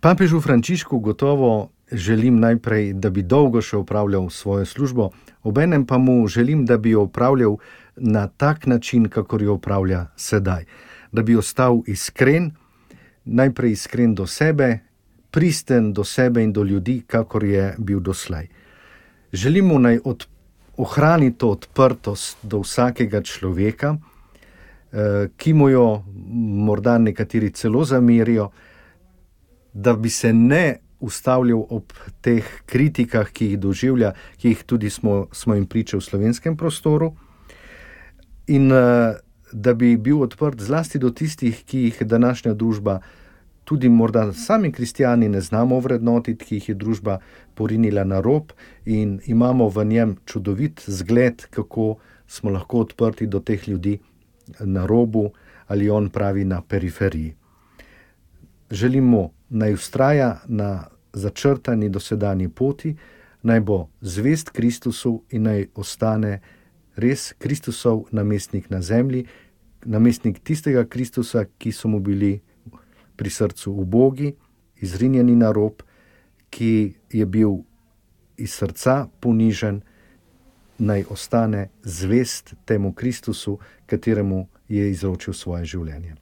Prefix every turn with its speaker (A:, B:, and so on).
A: Papežu Frančišku gotovo želim najprej, da bi dolgo še opravljal svojo službo, obenem pa mu želim, da bi jo opravljal na tak način, kakor jo opravlja sedaj. Da bi ostal iskren, najprej iskren do sebe, pristen do sebe in do ljudi, kakor je bil doslej. Želim mu naj ohrani to odprtost do vsakega človeka, ki mu jo morda nekateri celo zamerijo, da bi se ne ustavljal ob teh kritikah, ki jih doživlja, ki jih tudi smo jim priče v slovenskem prostoru, in da bi bil odprt zlasti do tistih, ki jih današnja družba, tudi morda sami kristjani ne znamo vrednotiti, ki jih je družba porinila na rob, in imamo v njem čudovit zgled, kako smo lahko odprti do teh ljudi na robu, ali on pravi na periferiji. Želim mu, naj vztraja na začrtani dosedanji poti, naj bo zvest Kristusu in naj ostane res Kristusov namestnik na zemlji, namestnik tistega Kristusa, ki so mu bili pri srcu ubogi, izrinjeni na rob, ki je bil iz srca ponižen, naj ostane zvest temu Kristusu, kateremu je izročil svoje življenje.